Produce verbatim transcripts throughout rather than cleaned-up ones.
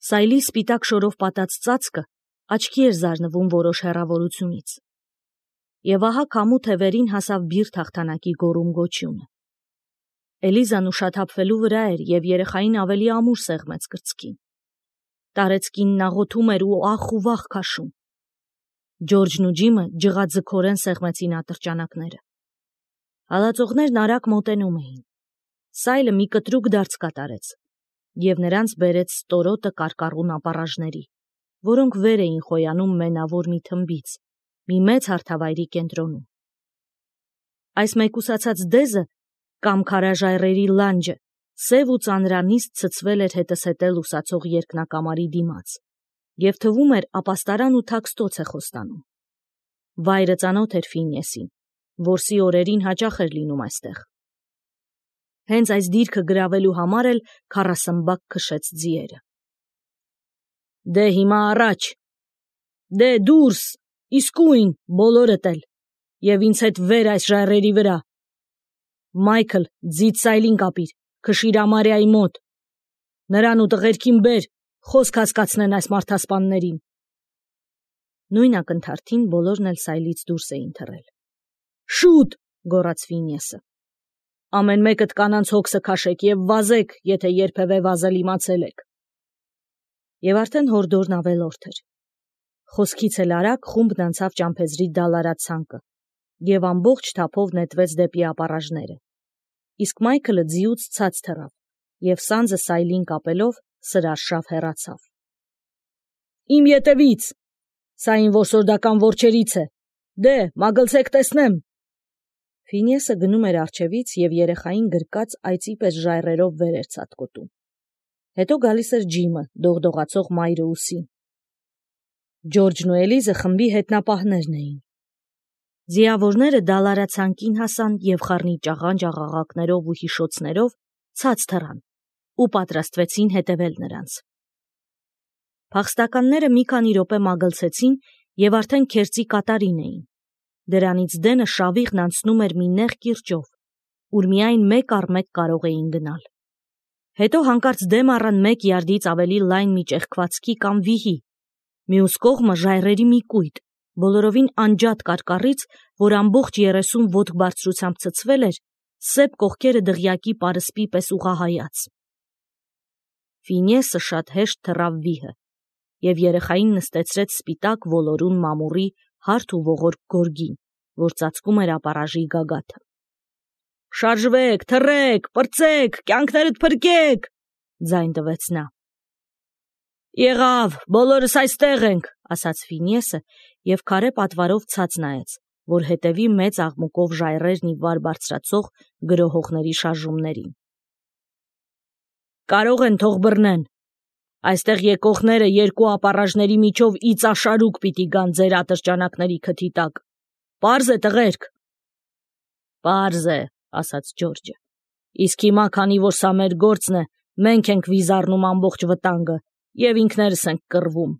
Սայլի սպիտակ շորով պատած ծածկը աչքի էր զարնվում որոշ հեռավորությունից։ Եվ ահա քամու թևերին հասավ բիրտ հաղթանակի գոռում գոչյունը։ Էլիզան ուշաթափվելու վրա էր և երեխային ավելի ամուր սեղմեց կրծքին։ Տարեցկինն աղոթում էր ու ախ ու վախ քաշում։ Ջորջն ու Ջիմը ջղաձգորեն սեղմեցին ատրճանակները։ Հալածողներն արագ մոտենում էին։ Սայլը մի կտրուկ դարձ կատարեց և նրանց բերեց ստորոտը կարկառուն ապառաժների, որոնք վեր էին խոյանում մենավոր մի թմբից, մի մեծ հարթավայրի կենտրոնում։ Այս մեկուսացած դեզը կամ քարաժայռերի լանջը սև ու ծանրանիստ ցցվել էր հետզհետե լուսացող երկնակամարի դիմաց և թվում էր ապաստարան ու թաքստոց է խոստանում։ Վայրը ծանոթ էր Ֆինեսին, որսի օրերին հաճախ էր լինում այստեղ։ Հենց այս դիրքը գրավելու համար էլ քառասմբակ քշեց ձիերը։ Դե հիմա առաջ, դե դուրս, իսկույն, բոլորդ էլ, և ինձ հետ վեր այս ժայռերի վրա։ Մայքլ, ձիդ Սայլին կապիր, քշիր Ամարիայի մոտ։ Նրան ու տղերքին բեր, խոսք հասկացնեն այս մարդասպաններին։ Նույն ակնթարթին բոլորն էլ Սայլից դուրս էին թռել։ Շուտ, գոռաց Ֆինեսը։ Ամեն մեկդ կանանց հոգսը քաշեք և վազեք, եթե երբևէ վազել իմացել եք։ Եվ արդեն հորդորն ավելորդ էր։ Խոսքից էլ արագ խումբն անցավ ճամփեզրի դալարացանկը և ամբողջ թափով նետվեց դեպի ապառաժները։ Իսկ Մայքլը ձիուց ցած թռավ և սանձը Սայլին կապելով սրարշավ հեռացավ։ Իմ ետևից, սա իմ որսորդական որջերից է, դե, մագլցեք տեսնեմ։ Ֆինեսը գնում էր առջևից և երեխային գրկած այծի պես ժայռերով վեր էր ցատկոտում։ Հետո գալիս էր Ջիմը, դողդողացող մայրը ուսին։ Ջորջն ու Էլիզը խմբի հետնապահներն էին։ Ձիավորները դալարացանկին հասան և խառնիճաղանճ աղաղակներով ու հիշոցներով ցած թռան ու պատրաստվեցին հետևել նրանց։ Փախստականները մի քանի րոպե մագլցեցին և արդեն քերծի կատարին էին։ Դրանից դենը շավիղն անցնում էր մի նեղ կիրճով, ուր միայն մեկ առ մեկ կարող էին գնալ։ Հետո հանկարծ դեմ առան մեկ յարդից ավելի լայն մի ճեղքվածքի կամ վիհի, մյուս կողմը ժայռերի մի կույտ, բոլորովին անջատ կարկառից, որ ամբողջ երեսուն ոտք բարձրությամբ ցցվել էր, սեպ կողքերը դղյակի պարսպի պես ուղղահայաց։ Ֆինեսը շատ հեշտ թռավ վիհը և երեխային նստեցրեց սպիտակ ոլորուն մամուռի հարթ ու ողորկ գորգին, որ ծածկում էր ապառաժի գագաթը։ Շարժվեք, թռեք, պրծեք, կյանքներդ փրկեք, ձայն տվեց նա։ Եղավ, բոլորս այստեղ ենք, ասաց Ֆինեսը և քարե պատվարով ցած նայեց, որ հետևի մեծ աղմուկով ժայռերն ի վար բարձրացող գրոհողների շարժումներին։ Կարող են թող բռնեն։ Այստեղ եկողները երկու ապառաժների միջով իծաշարուկ պիտի գան ձեր ատրճանակների քթի տակ։ Պարզ է, տղերք։ Պարզ է, ասաց Ջորջը։ Իսկ հիմա, քանի որ սա մեր գործն է, մենք ենք վիզառնում ամբողջ վտանգը և ինքներս ենք կռվում։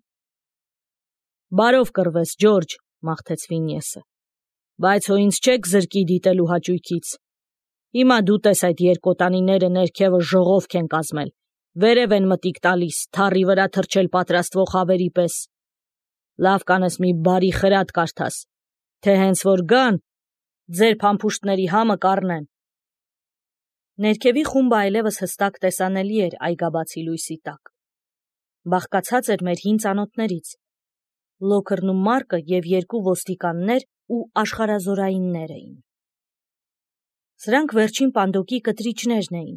Բարով կռվես, Ջորջ, մաղթեց Ֆինեսը։ Բայց հո ինձ չեք զրկի դիտելու հաճույքից։ Հիմա դու տես այդ երկոտանիները ներքևը ժողովք են կազմել, վերև են մտիկ տալիս, թառի վրա թռչել պատրաստվող հավերի պես։ Լավ կանես մի բարի խրատ կարդաս, թե հենց որ գան, ձեր փամփուշտների համը կառնեն։ Ներքևի խումբը այլևս հստակ տեսանելի էր այգաբացի լույսի տակ։ Բաղկացած էր մեր հին ծանոթներից։ Լոքերն ու Մարկը և երկու ոստիկաններ ու աշխարհազորայիններ էին։ Սրանք վերջին պանդոկի կտրիչներն էին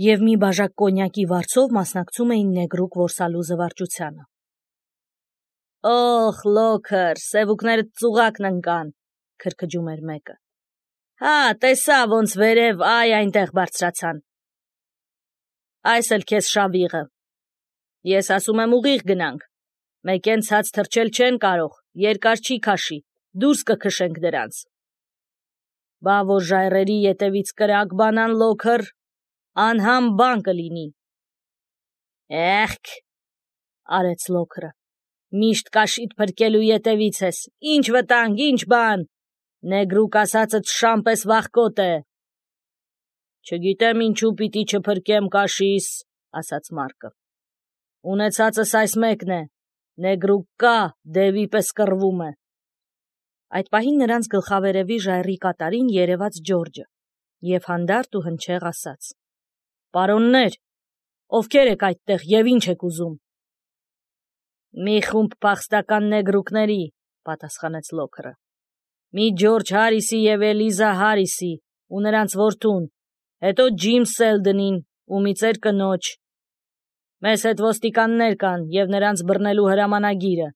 և մի բաժակ կոնյակի վարձով մասնակցում էին նեգրուկ որսալու զվարճությանը։ Օխ, Լոքեր, սևուկներդ ծուղակն ընկան, քրքջում էր մեկը։ Հա, տեսա ոնց վերև այ այնտեղ բարձրացան։ Այս էլ քեզ շավիղը։ Ես ասում եմ ուղիղ գնանք։ Մեկեն ցած թռչել չեն կարող, երկար չի քաշի, դուրս կքշենք դրանց։ Բա որ ժայռերի ետևից կրակ բանան, Լոքեր, անհամ բան կլինի։ Էխք, արեց Լոքերը, միշտ կաշիդ փրկելու ետևից ես, ինչ վտանգ, ինչ բան, նեգրուկ ասածդ շան պես վախկոտ է։ Չգիտեմ ինչու պիտի չփրկեմ կաշիս, ասաց Մարկը։ Ունեցածս այս մեկն է, նեգրուկկա դևի պես կռվում է։ Այդ պահին նրանց գլխավերևի ժայռի կատարին երևաց Ջորջը և հանդարտ ու հնչեղ ասաց. «Պարոններ, ովքեր եք այդտեղ և ինչ եք ուզում»։ «Մի խումբ փախստական նեգրուկների», պատասխանեց Լոքերը։ «Մի Ջորջ Հարիսի և Էլիզա Հարիսի ու նրանց որդուն, հետո Ջիմ Սելդնին ու մի ծեր կնոջ։ Մեզ հետ ոստիկաններ կան և նրանց բռնելու հրամանագիրը։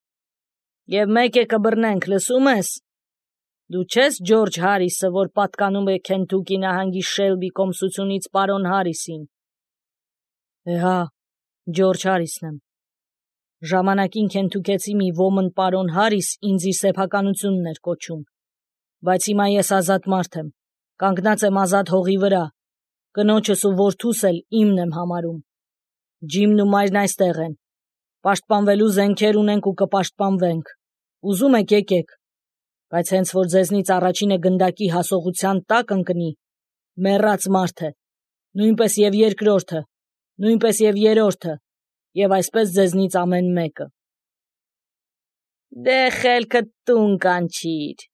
Եվ մեկ է կբռնենք, լսում ես։ Դու չես Ջորջ Հարիսը, որ պատկանում է Քենթուկի նահանգի Շելբի կոմսությունից պարոն Հարիսին»։ «Է հա, Ջորջ Հարիսն եմ։ Ժամանակին քենթուքեցի մի ոմն պարոն Հարիս ինձ իր սեփականությունն էր կոչում, բայց հիմա ես ազատ մարդ եմ, կանգնած եմ ազատ հողի վրա, կնոջս ու որդուս էլ իմն եմ համարում։ Ջիմն ու մայրն այստեղ են, պաշտպանվելու զենքեր ունենք ու կպաշտպանվենք, ուզում եք եկեք, բայց հենց որ ձեզնից առաջինը գնդակի հասողության տակ ընկնի, մեռած մարդ է, նույնպես և երկրորդը, նույնպես և երրորդը, և այսպես ձեզնից ամեն մեկը»։ «Դե խելքդ տուն կանչիր»,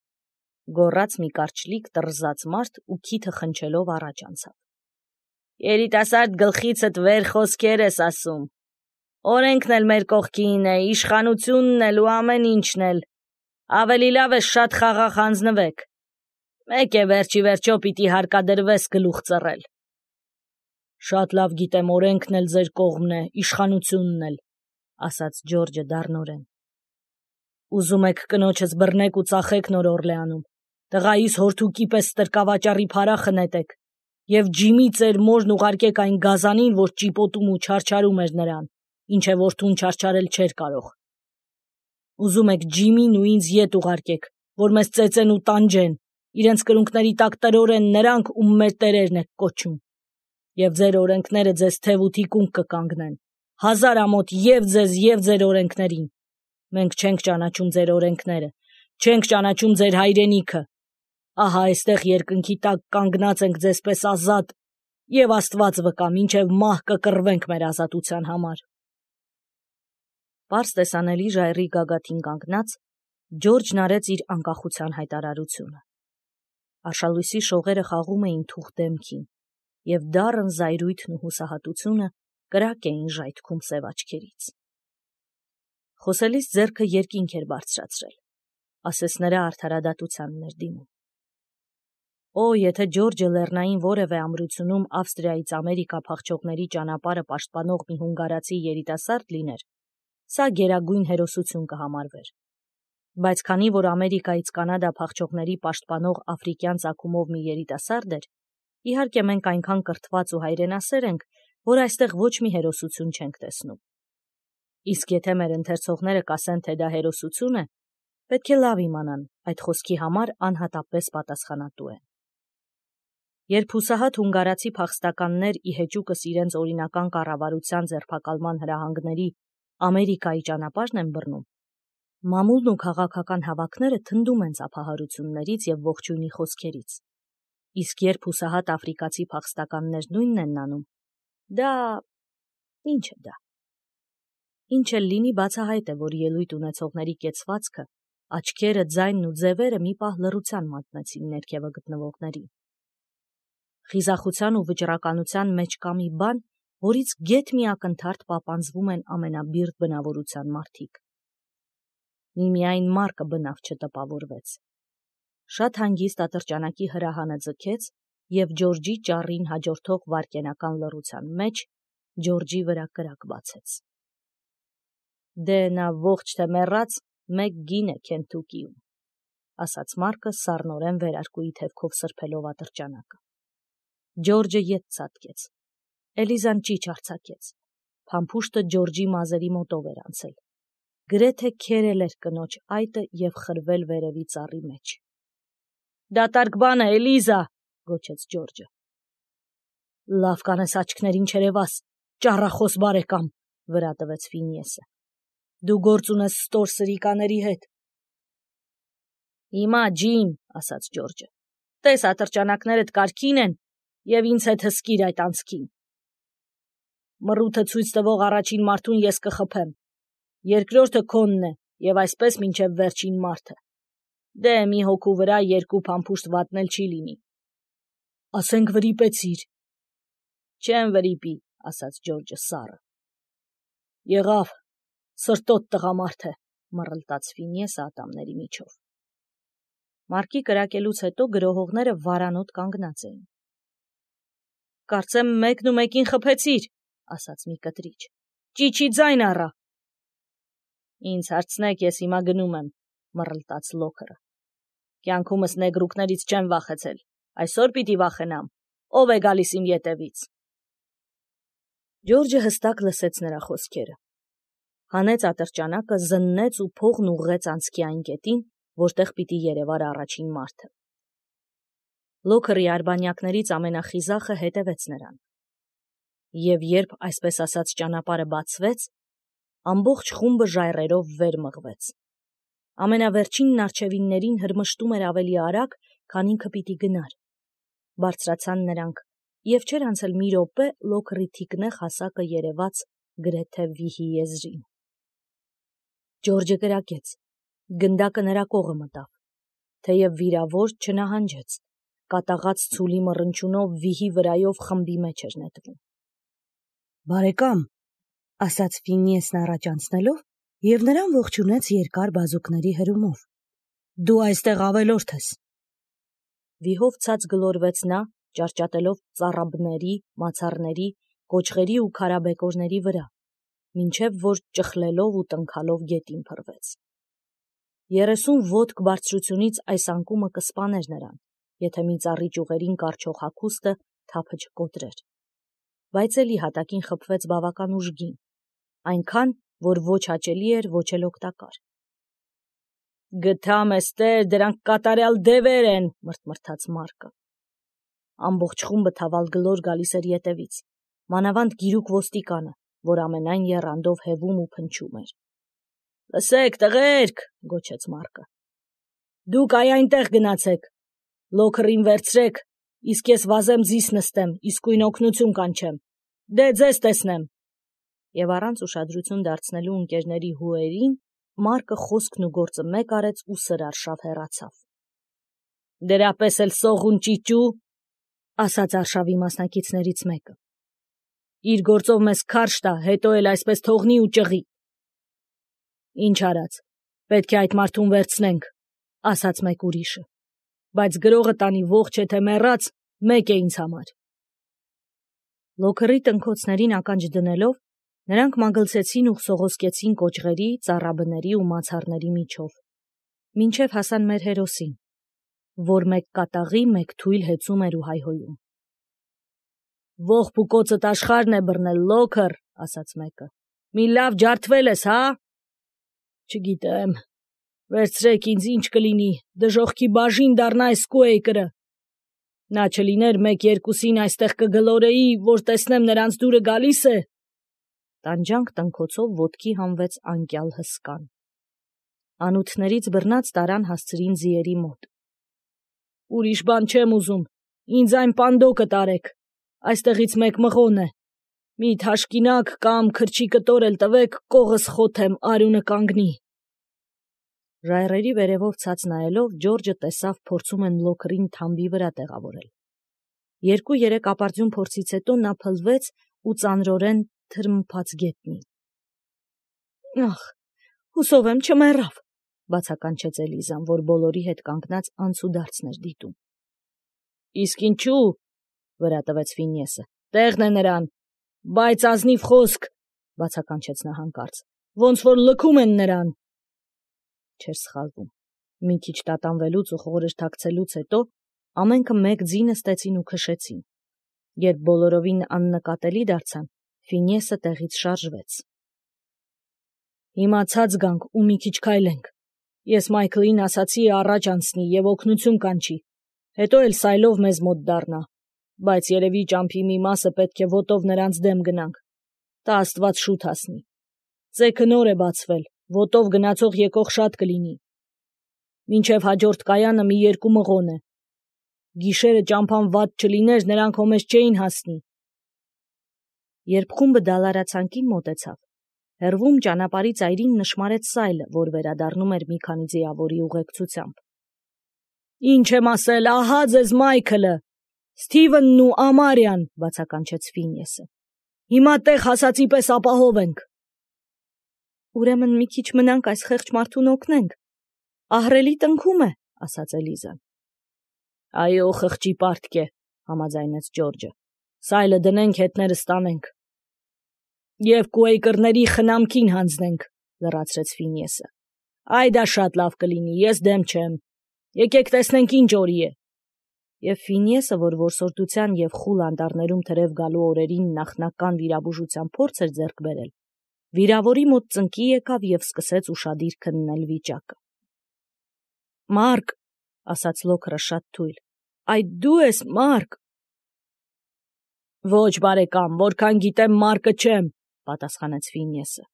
գոռաց մի կարճլիկ տռզած մարդ ու քիթը խնչելով առաջ անցավ։ «Երիտասարդ գլխիցդ վեր խոսքեր ես ասում։ Օրենքն էլ մեր կողքին է, իշխանությունն էլ ու ամեն ինչն էլ։ Ավելի լավ է շատ խաղաղ հանձնվեք։ Մեկ է վերջի վերջո պիտի հարկադրվես գլուխ ծռել»։ «Շատ լավ գիտեմ, օրենքն էլ ձեր կողմն է, իշխանությունն էլ», ասաց Ջորջը դառնորեն։ «Ուզում եք կնոջս բռնեք ու ծախեք Նոր Օրլեանում, տղայիս հորթուկի պես ստրկավաճառի փարախը նետեք և Ջիմի ծեր մորն ուղարկեք այն գազանին, որ ճիպոտում ու չարչարում էր նրան, ինչ է որդուն չարչարել չէր կարող։ Ուզում եք Ջիմին ու ինձ ետ ուղարկեք, որ մեզ ծեծեն ու տանջեն, իրենց կրունկների տակ տրորեն նրանք, ում մեր տերերն եք կոչում։ Եվ ձեր օրենքները ձեզ թև ու թիկունք կկանգնեն, հազար ամոթ և ձեզ, և ձեր օրենքներին։ Մենք չենք ճանաչում ձեր օրենքները, չենք ճանաչում ձեր հայրենիքը։ Ահա այստեղ երկնքի տակ կանգնած ենք ձեզպես ազատ, և Աստված վկա, մինչև մահ կկռվենք մեր ազատության համար»։ Պարզ տեսանելի ժայռի գագաթին կանգնած Ջորջն արեց իր անկախության հայտարարությունը։ Արշալույսի շողերը խաղում էին թուխ դեմքին, և դառն զայրույթն ու հուսահատությունը կրակ էին ժայթքում սև աչքերից։ Խոսելիս ձեռքը երկինք էր բարձրացրել, ասես նրա արդարադատությանն էր դիմում։ Օ, եթե Ջորջը լեռնային որևէ ամրությունում Ավստրիայից Ամերիկա փախչողների ճանապարհը պաշտպանող մի հունգարացի երիտասարդ լիներ, սա գերագույն հերոսություն կհամարվեր։ Բայց քանի որ Ամերիկայից Կանադա փախչողների պաշտպանող աֆրիկյան ծագումով մի երիտասարդ էր, իհարկե մենք այնքան կրթված ու հայրենասեր ենք, որ այստեղ ոչ մի հերոսություն չենք տեսնում։ Իսկ եթե մեր ընթերցողները կասեն, թե դա հերոսություն է, պետք է լավ իմանան, այդ խոսքի համար անհատապես պատասխանատու են։ Երբ հուսահատ հունգարացի փախստականներ ի հեճուկս իրենց օրինական կառավարության ձերբակալման հրահանգների Ամերիկայի ճանապարհն են բռնում, մամուլն ու քաղաքական հավաքները թնդում են ծափահարություններից և ողջույնի խոսքերից։ Իսկ երբ հուսահատ աֆրիկացի փախստականներ նույնն են անում, դա… ինչ է դա։ Ինչ էլ լինի, բացահայտ է, որ ելույթ ունեցողների կեցվածքը, աչքերը, ձայնն ու ձևերը մի պահ լռության մատնեցին ներքևը գտնվողներին։ Խիզախության ու վճռականության մեջ կա մի բան, որից գեթ մի ակնթարթ պապանձվում են ամենաբիրտ բնավորության մարդիկ։ Միմիայն Մարկը բնավ չտպավորվեց։ Շատ հանգիստ ատրճանակի հրահանը ձգեց, և Ջորջի ճառին հաջորդող վայրկենական լռության մեջ Ջորջի վրա կրակ բացեց։ «Դե նա ողջ թե մեռած մեկ գին է Քենթուկիում», ասաց Մարկը սառնորեն վերարկուի թևքով սրբելով ատրճանակը։ Ջորջը ետ ցատկեց։ Էլիզան ճիչ արձակեց։ Փամփուշտը Ջորջի մազերի մոտով էր անցել։ Գրեթե քերել էր կնոջ այտը և խրվել վերևի ծառի մեջ։ «Դատարկ բան է, Էլիզա», գոչեց Ջորջը։ «Լավ կանես աչքներին չերևաս, ճառախոս բարեկամ», վրա տվեց Ֆինիեսը։ «Դու գործ ունես ստոր սրիկաների հետ»։ «Հիմա, Ջիմ», ասաց Ջորջը, «տես ատրճանակներդ կարգին են, և ինձ հետ հսկիր այդ անցքին»։ Մռութը ցույց տվող առաջին մարդուն ես կխփեմ։ Երկրորդը քոնն է, եւ այսպես մինչև վերջին մարդը։ Դե մի հոգու վրա երկու փամփուշտ վատնել չի լինի։ Ասենք վրիպեցիր։ Չեմ վրիպի, ասաց Ջորջը սառը։ Եղավ, սրտոտ տղամարդ է, մռլտաց Ֆինիեսը ատամների միջով։ Մարկի կրակելուց հետո գրոհողները վարանոտ կանգնած էին։ Կարծեմ մեկն ու մեկին խփեցիր, ասաց մի կտրիչ։ Ճիչի ձայն առա։ Ինձ հարցնեք, ես հիմա գնում եմ, մռլտաց Լոքերը։ Կյանքումս նեգրուկներից չեմ վախեցել, այսօր պիտի վախենամ, ով է գալիս իմ ետևից։ Ջորջը հստակ լսեց նրա խոսքերը։ Հանեց ատրճանակը, զննեց ու փողն ուղղեց անցքի այն կետին, որտեղ պիտի երևար առաջին մարդը։ Լոքերի արբանյակներից ամենախիզախը հետևեց նրան։ Եվ երբ այսպես ասած ճանապարհը բացվեց, ամբողջ խումբը ժայռերով վեր մղվեց։ Ամենավերջինն արջևիններին հրմշտում էր ավելի արագ, քան ինքը պիտի գնար։ Բարձրացան նրանք, եւ չէր անցել մի րոպե, Լոքերի թիկնեղ հասակը երևաց գրեթե վիհի եզրին։ Ջորջը կրակեց, գնդակը նրա կողը մտավ, թեև վիրավոր չնահանջեց, կատաղած ցուլի մռնչյունով վիհի վրայով խմբի մեջ էր նետվում։ Բարեկամ, ասաց Ֆինիեսն առաջ անցնելով, եւ նրան ողջունեց երկար բազուկների հրումով։ Դու այստեղ ավելորդ ես։ Վիհով ցած գլորվեց նա, ճարճատելով ծառաբների, մացառների, կոճղերի ու քարաբեկորների վրա, մինչև որ ճխլելով ու տնքալով գետին փռվեց։ Երեսուն ոտք բարձրությունից այս անկումը կսպաներ նրան, եթե մի ծառի ճյուղերին կառչող հագուստը թափը չկոտրեր։ Բայց էլի հատակին խփվեց բավական ուժգին, այնքան, որ ոչ հաճելի էր, ոչ էլ օգտակար։ Գթամ էստեր, դրանք կատարյալ դևեր են, մռթմռթաց Մարկը։ Ամբողջ խումբը թավալ գլոր գալիս էր ետևից, մանավանդ գիրուկ ոստիկանը, որ ամենայն եռանդով հևում ու փնչում էր։ Լսեք, տղերք, գոչեց Մարկը։ Դուք այ այնտեղ գնացեք, Լոքերին վերցրեք, իսկ ես վազեմ ձիս նստեմ, իսկույն օգնություն կանչեմ։ Դե ձեզ տեսնեմ։ Եվ առանց ուշադրություն դարձնելու ընկերների հուերին, Մարկը խոսքն ու գործը մեկ արեց ու սրարշավ հեռացավ։ Դրապես էլ սողուն ճիճու, ասաց արշավի մասնակիցներից մեկը։ Իր գործով մեզ քարշ տա, հետո էլ այսպես թողնի ու ճղի։ Ինչ արած, պետք է այդ մարդուն վերցնենք, ասաց մեկ ուրիշը, բայց գրողը տանի ողջ է թե մեռած, մեկ է ինձ համար։ Լոքերի տնքոցներին ականջ դնելով, նրանք մագլցեցին ու սողոսկեցին կոճղերի, ծառաբների ու մացառների միջով, մինչև հասան մեր հերոսին, որ մեկ կատաղի, մեկ թույլ հեծում էր ու հայհոյում։ Ողբ ու կոծդ աշխարհն է բռնել, Լոքեր, ասաց մեկը։ Մի լավ ջարդվել ես, հա։ Չգիտեմ, վերցրեք ինձ, ինչ կլինի, դժոխքի բաժին դառնա այս Կուեյկերը։ Նա չլիներ մեկ երկուսին այստեղ կգլորեի, որ տեսնեմ նրանց դուրը գալիս է։ Տանջանք տնքոցով ոտքի հանվեց անկյալ հսկան։ Անութներից բռնած տարան հասցրին ձիերի մոտ։ Ուրիշ բան չեմ ուզում, ինձ այն պանդոկը տարեք, այստեղից մեկ մղոն է։ Մի թաշկինակ կամ քրչի կտոր էլ տվեք, կողս խոթեմ, արյունը կանգնի։ Ժայռերի վերևով ցած նայելով, Ջորջը տեսավ փորձում են Լոքերին թամբի վրա տեղավորել։ Երկու-երեք ապարդյուն փորձից հետո նա փլվեց ու ծանրորեն թրմփաց գետնին։ Ախ, հուսով եմ չմեռավ, բացականչեց Էլիզան, որ բոլորի հետ կանգնած անցուդարձն էր դիտում։ Իսկ ինչու, վրա տվեց Ֆինիեսը, տեղն է նրան, բայց ազնիվ խոսք, բացականչեց նա հանկարծ, ոնց որ լքում են նրան։ Չէր սխալվում։ Մի քիչ տատանվելուց ու խորհրդ թաքցելուց հետո ամենքը մեկ ձի նստեցին ու քշեցին։ Երբ բոլորովին աննկատելի դարձան, Ֆինիեսը տեղից շարժվեց։ Հիմա ցած գանք ու մի քիչ քայլենք։ Ես Մայքլին ասացի առաջ անցնի եւ օգնություն կանչի, հետո էլ սայլով մեզ մոտ դառնա, բայց երևի ճամփի մի մասը պետք է ոտով նրանց դեմ գնանք։ Տա Աստված շուտ հասնի։ Ծեքը նոր է բացվել, ոտով գնացող եկող շատ կլինի։ Մինչև հաջորդ կայանը մի երկու մղոն է։ Գիշերը ճամփան վատ չլիներ, նրանք հոմես չէին հասնի։ Երբ խումբը դալարացանկին մոտեցավ, հեռվում ճանապարհի ծայրին նշմարեց Սայլը, որ վերադառնում էր մի քանի ձիավորի ուղեկցությամբ։ Ինչ եմ ասել, ահա ձեզ Մայքլը, Սթիվենն ու Ամարիան, բացականչեց Ֆինեսը։ Հիմա տեղ հասածի պես ապահով ենք։ Ուրեմն մի քիչ մնանք այս խեղճ մարդուն օգնենք։ Ահռելի տնքում է, ասաց Էլիզան։ Այո, խղճի պարտք է, համաձայնեց Ջորջը։ Սայլը դնենք, հետները ստանենք։ Եվ Կուեյկերների խնամքին հանձնենք, լրացրեց Ֆինեսը։ Այ դա շատ լավ կլինի, ես դեմ չեմ։ Եկեք տեսնենք ինչ օրի է։ Եվ Ֆինեսը, որ որսորդության եւ խուլ անտառներում թրև գալու օրերին նախնական վիրաբուժության փորձ էր ձեռք բերել, վիրավորի մոտ ծնկի եկավ եւ սկսեց ուշադիր քննել վիճակը։ Մարկ, ասաց Լոքերը շատ թույլ, այդ դու ես, Մարկ։ Ոչ, բարեկամ, որքան գիտեմ Մարկը չեմ, պատասխանեց Ֆինեսը։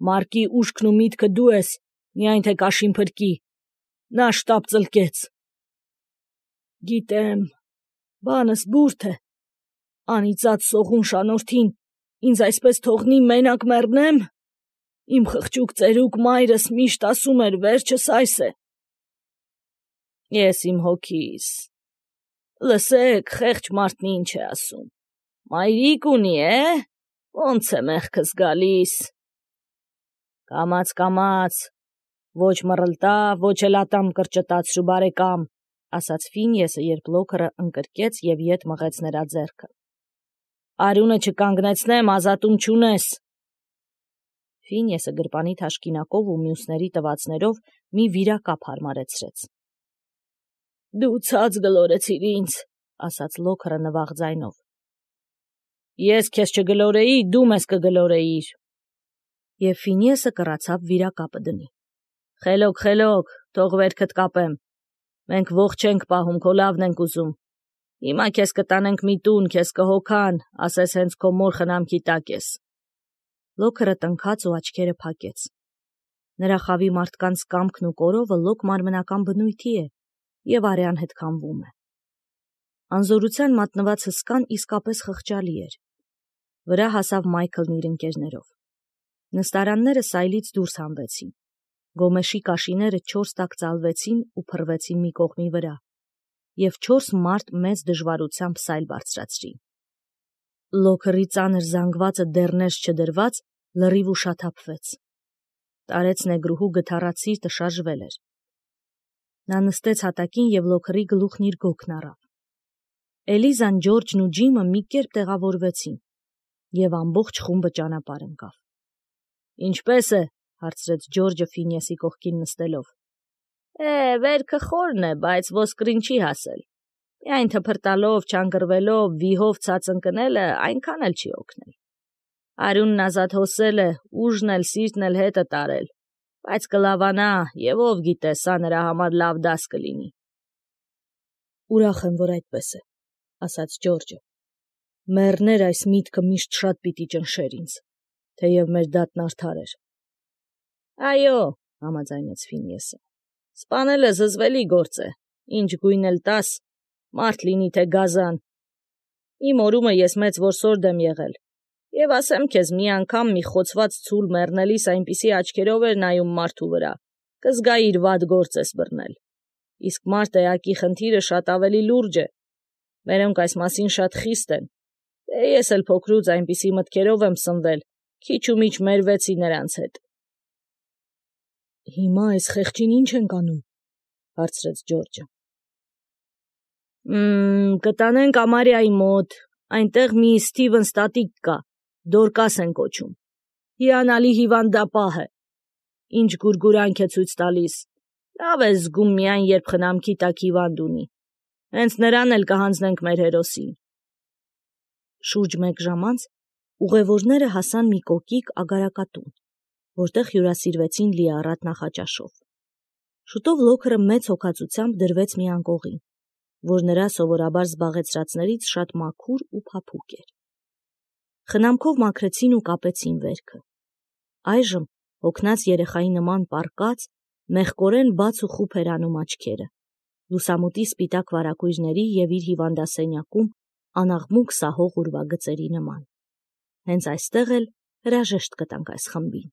Մարկի ուշքն ու միտքը դու ես, միայն թե կաշին փրկի։ Նա շտապ ծլկեց։ Գիտեմ, բանս բուրդ է։ Անիծած սողուն շանորդին ինձ այսպես թողնի մենակ մեռնեմ։ Իմ խղճուկ ծերուկ մայրս միշտ ասում էր, վերջս այս է։ Ես իմ հոգիս։ Լսեք, խեղճ մարդն ինչ է ասում։ Մայրիկ ունի, է։ Ոնց է մեղքս գալիս։ Կամաց կամաց, ոչ մռլտա, ոչ էլ ատամ կրճտացրու բարեկամ, ասաց Ֆինեսը, երբ Լոքերը ընկրկեց եւ ետ մղեց նրա ձեռքը։ Արյունը չկանգնեցնեմ, ազատում չունես։ Ֆինեսը գրպանի թաշկինակով ու մյուսների տվածներով մի վիրակապ հարմարեցրեց։ Դու ցած գլորեցիր ինձ, ասաց Լոքերը նվաղ ձայնով։ Ես քեզ չգլորեի, դու մեզ կգլորեիր։ Եվ Ֆինեսը կռացավ վիրակապը դնի։ Խելոք, խելոք, թող վերքդ կապեմ։ Մենք ողջ չենք պահում, քո լավն ենք ուզում։ Հիմա քեզ կտանենք մի տուն, քեզ կհոգան, ասես հենց քո մոր խնամքի տակ ես։ Լոքերը տնքաց ու աչքերը փակեց։ Նրա խավի մարդկանց կամքն ու կորովը լոկ մարմնական բնույթի է եւ արյան հետ քամվում է։ Անզորության մատնված հսկան իսկապես խղճալի էր։ Վրա հասավ Մայքլն իր ընկերներով։ Նստարանները Սայլից դուրս հանվեցին։ Գոմեշի կաշիները չորս տակ ծալվեցին ու փռվեցին մի կողմի վրա, եւ չորս մարդ մեծ դժվարությամբ Սայլ բարձրացրին։ Լոքերի ծանր զանգվածը դեռնեж չդրված լրիվ ուշաթափվեց։ Տարեց նեգրուհու գթառացիրտը շարժվել էր։ Նա նստեց հատակին եւ Լոքերի գլուխն իր գոգն առավ։ Էլիզան, Ջորջն ու Ջիմը մի կերպ տեղավորվեցին, եւ ամբողջ խումբը ճանապարհ ընկավ։ Ինչպե՞ս է, հարցրեց Ջորջը Ֆինեսի կողքին նստելով։ Է, վերքը խորն է, բայց ոսկրին չի հասել։ Միայն թփրտալով, չանգրվելով, վիհով ցած ընկնելը այնքան էլ չի օգնել։ Արյունն ազատ հոսել է, ուժն էլ, սիրտն էլ հետը տարել, բայց կլավանա, եւ ով գիտե, սա նրա համար լավ դաս կլինի։ Ուրախ եմ, որ այդպես է, ասաց Ջորջը։ Մեռներ այս միտքը միշտ շատ պիտի ճնշեր ինձ, թեև մեր դատն արդար էր։ Այո, համաձայնեց Ֆինեսը։ Սպանելը զզվելի գործ է, ինչ գույն էլ տաս, մարդ լինի թե գազան։ Իմ օրումը ես մեծ որսորդ եմ եղել, եւ ասեմ քեզ, մի անգամ մի խոցված ցուլ մեռնելիս այնպիսի աչքերով էր նայում մարդու վրա, կզգայի իր վատ գործ ես բռնել։ Իսկ մարդ էակի խնդիրը շատ ավելի լուրջ է։ Մերոնք այս մասին շատ խիստ են։ Դե ես էլ փոքրուց այնպիսի մտքերով եմ սնվել, քիչ ու միչ մերվեցի նրանց հետ։ Հիմա այս խեղճին ինչ ենք անում, հարցրեց Ջորջը։ Մմ, կտանենք Ամարիայի մոտ, այնտեղ մի Սթիվեն ստատիկ կա, Դորկաս են կոչում։ Հիանալի հիվանդապահ է։ Ինչ գուրգուրանք է ցույց տալիս։ Լավ է զգում միայն, երբ խնամքի տակ հիվանդ ունի։ Հենց նրան էլ կհանձնենք մեր հերոսին։ Շուրջ մեկ ժամ անց ուղևորները հասան մի կոկիկ ագարակատուն, որտեղ հյուրասիրվեցին լիառատ նախաճաշով։ Շուտով Լոքերը մեծ հոգածությամբ դրվեց մի անկողին, որ նրա սովորաբար զբաղեցրածներից շատ մաքուր ու փափուկ էր։ Խնամքով մաքրեցին ու կապեցին վերքը։ Այժմ հոգնած երեխայի նման պառկած, մեղկորեն բաց ու խուփ էր անում աչքերը, լուսամուտի սպիտակ վարակույրների եւ իր հիվանդասենյակում անաղմուկ սահող ուրվագծերի նման։ Հենց այստեղ էլ հրաժեշտ կտանք այս խմբին։